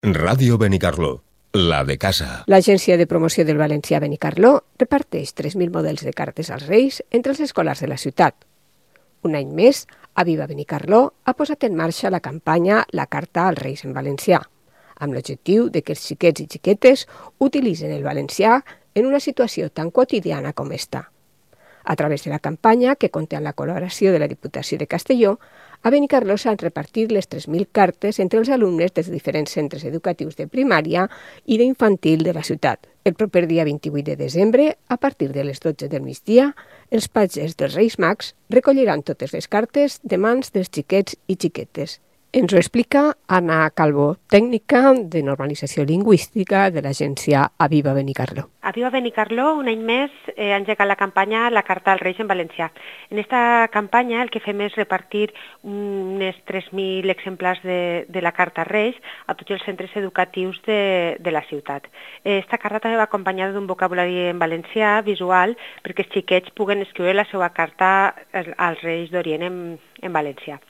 Ràdio Benicarló, la de casa. L'Agència de Promoció del Valencià Benicarló reparteix 3.000 models de cartes als Reis entre els escolars de la ciutat. Un any més, Aviva Benicarló ha posat en marxa la campanya La Carta als Reis en valencià, amb l'objectiu de que els xiquets i xiquetes utilitzen el valencià en una situació tan quotidiana com esta. A través de la campanya, que compta amb la col·laboració de la Diputació de Castelló, a Benicarló s'han repartit les 3.000 cartes entre els alumnes dels diferents centres educatius de primària i d'infantil de la ciutat. El proper dia 28 de desembre, a partir de les 12 del migdia, els patges dels Reis Mags recolliran totes les cartes de mans dels xiquets i xiquetes. Ens ho explica Anna Calvo, tècnica de normalització lingüística de l'agència Aviva Benicarló. Aviva Benicarló, un any més, ha engegat la campanya La Carta als Reis en valencià. En aquesta campanya el que fem és repartir unes 3.000 exemplars de la Carta als Reis a tots els centres educatius de la ciutat. Esta carta també va acompanyada d'un vocabulari en valencià visual perquè els xiquets puguen escriure la seva carta als Reis d'Orient en valencià.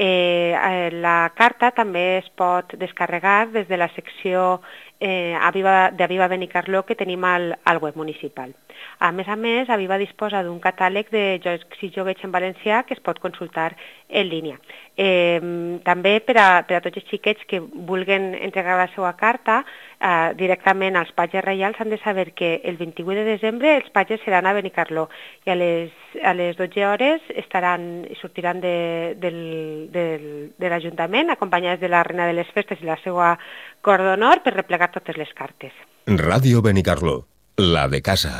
La carta també es pot descarregar des de la secció d'Aviva Benicarló que tenim al web municipal. A més, Aviva disposa d'un catàleg de jocs i joguets en valencià que es pot consultar en línia. També per a tots els xiquets que vulguin entregar la seva carta directament als patges reials han de saber que el 28 de desembre els patges seran a Benicarló i a les 12 hores sortiran de l'Ajuntament acompanyats de la Reina de les Festes i la seva cor d'honor per replegar totes les cartes. Ràdio Benicarló, la de casa.